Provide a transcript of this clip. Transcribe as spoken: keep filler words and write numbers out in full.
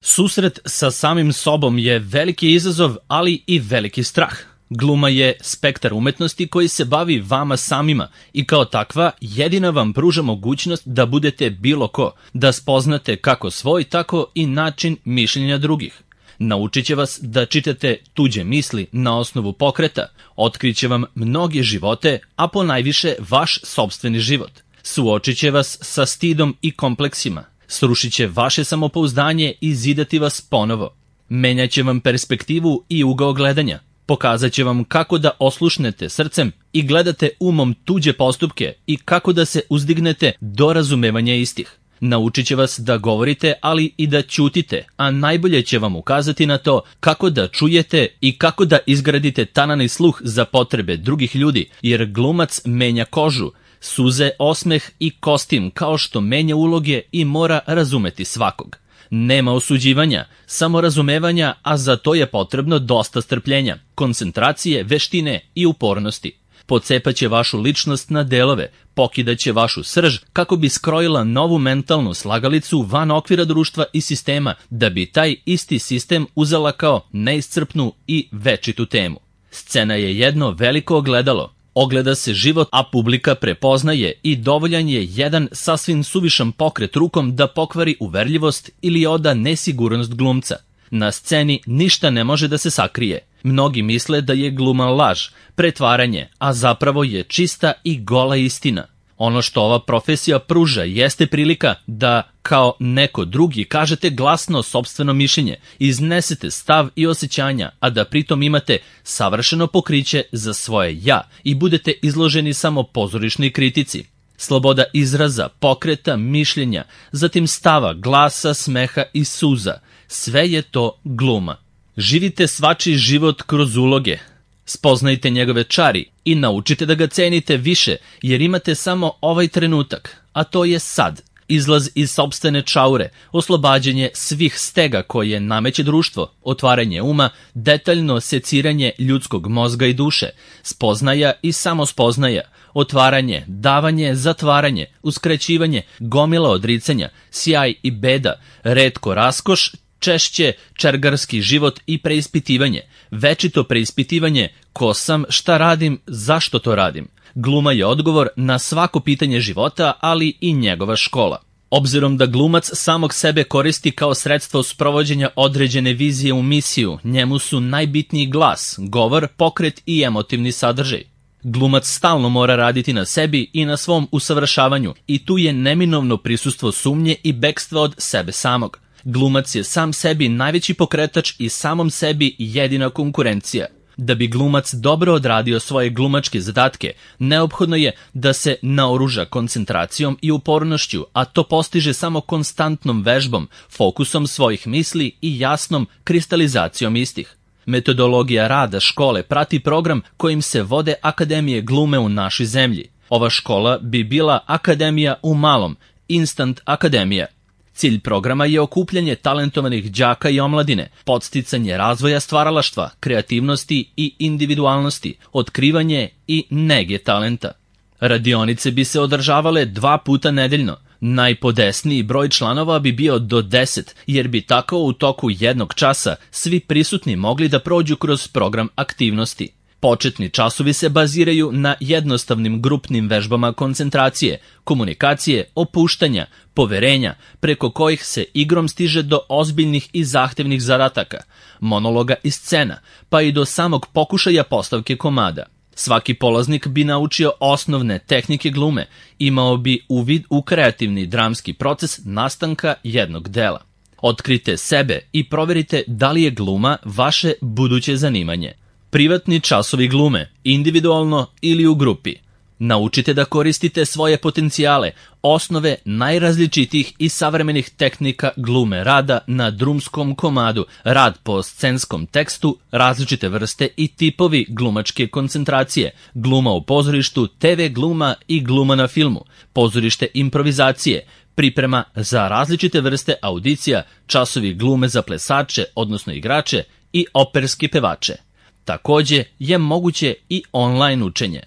Susret sa samim sobom je veliki izazov, ali i veliki strah. Gluma je spektar umetnosti koji se bavi vama samima i kao takva jedina vam pruža mogućnost da budete bilo ko, da spoznate kako svoj, tako i način mišljenja drugih. Naučit će vas da čitate tuđe misli na osnovu pokreta, otkriće vam mnoge živote, a ponajviše vaš sopstveni život. Suočit će vas sa stidom i kompleksima, srušit će vaše samopouzdanje i zidati vas ponovo. Menjat će vam perspektivu i ugao gledanja, pokazat će vam kako da oslušnete srcem i gledate umom tuđe postupke i kako da se uzdignete do razumevanja istih. Naučit će vas da govorite, ali i da ćutite, a najbolje će vam ukazati na to kako da čujete i kako da izgradite tanani sluh za potrebe drugih ljudi, jer glumac menja kožu, suze, osmeh i kostim kao što menja uloge i mora razumeti svakog. Nema osuđivanja, samo razumevanja, a za to je potrebno dosta strpljenja, koncentracije, veštine i upornosti. Pocepaće vašu ličnost na delove, pokidaće vašu srž kako bi skrojila novu mentalnu slagalicu van okvira društva i sistema, da bi taj isti sistem uzela kao neiscrpnu i večitu temu. Scena je jedno veliko ogledalo. Ogleda se život, a publika prepoznaje i dovoljan je jedan sasvim suvišan pokret rukom da pokvari uverljivost ili oda nesigurnost glumca. Na sceni ništa ne može da se sakrije. Mnogi misle da je gluma laž, pretvaranje, a zapravo je čista i gola istina. Ono što ova profesija pruža jeste prilika da, kao neko drugi, kažete glasno sopstveno mišljenje, iznesete stav i osjećanja, a da pritom imate savršeno pokriće za svoje ja i budete izloženi samo pozorišnoj kritici. Sloboda izraza, pokreta, mišljenja, zatim stava, glasa, smeha i suza. Sve je to gluma. Živite svačiji život kroz uloge. Spoznajte njegove čari i naučite da ga cenite više, jer imate samo ovaj trenutak, a to je sad. Izlaz iz sopstvene čaure, oslobađanje svih stega koje nameće društvo, otvaranje uma, detaljno seciranje ljudskog mozga i duše, spoznaja i samospoznaja, otvaranje, davanje, zatvaranje, uskraćivanje, gomila odricanja, sjaj i beda, retko raskoš, češće čergarski život i preispitivanje, večito preispitivanje ko sam, šta radim, zašto to radim. Gluma je odgovor na svako pitanje života, ali i njegova škola. Obzirom da glumac samog sebe koristi kao sredstvo sprovođenja određene vizije u misiju, njemu su najbitniji glas, govor, pokret i emotivni sadržaj. Glumac stalno mora raditi na sebi i na svom usavršavanju i tu je neminovno prisustvo sumnje i bekstva od sebe samog. Glumac je sam sebi najveći pokretač i samom sebi jedina konkurencija. Da bi glumac dobro odradio svoje glumačke zadatke, neophodno je da se naoruža koncentracijom i upornošću, a to postiže samo konstantnom vežbom, fokusom svojih misli i jasnom kristalizacijom istih. Metodologija rada škole prati program kojim se vode akademije glume u našoj zemlji. Ova škola bi bila akademija u malom, instant akademija. Cilj programa je okupljanje talentovanih đaka i omladine, podsticanje razvoja stvaralaštva, kreativnosti i individualnosti, otkrivanje i nege talenta. Radionice bi se održavale dva puta nedeljno. Najpodesniji broj članova bi bio do deset, jer bi tako u toku jednog časa svi prisutni mogli da prođu kroz program aktivnosti. Početni časovi se baziraju na jednostavnim grupnim vežbama koncentracije, komunikacije, opuštanja, poverenja, preko kojih se igrom stiže do ozbiljnih i zahtevnih zadataka, monologa i scena, pa i do samog pokušaja postavke komada. Svaki polaznik bi naučio osnovne tehnike glume, imao bi uvid u kreativni dramski proces nastanka jednog dela. Otkrite sebe i proverite da li je gluma vaše buduće zanimanje. Privatni časovi glume, individualno ili u grupi. Naučite da koristite svoje potencijale, osnove najrazličitijih i savremenih tehnika glume, rada na drumskom komadu, rad po scenskom tekstu, različite vrste i tipovi glumačke koncentracije, gluma u pozorištu, te ve gluma i gluma na filmu, pozorište improvizacije, priprema za različite vrste audicija, časovi glume za plesače, odnosno igrače i operski pevače. Takođe je moguće i online učenje.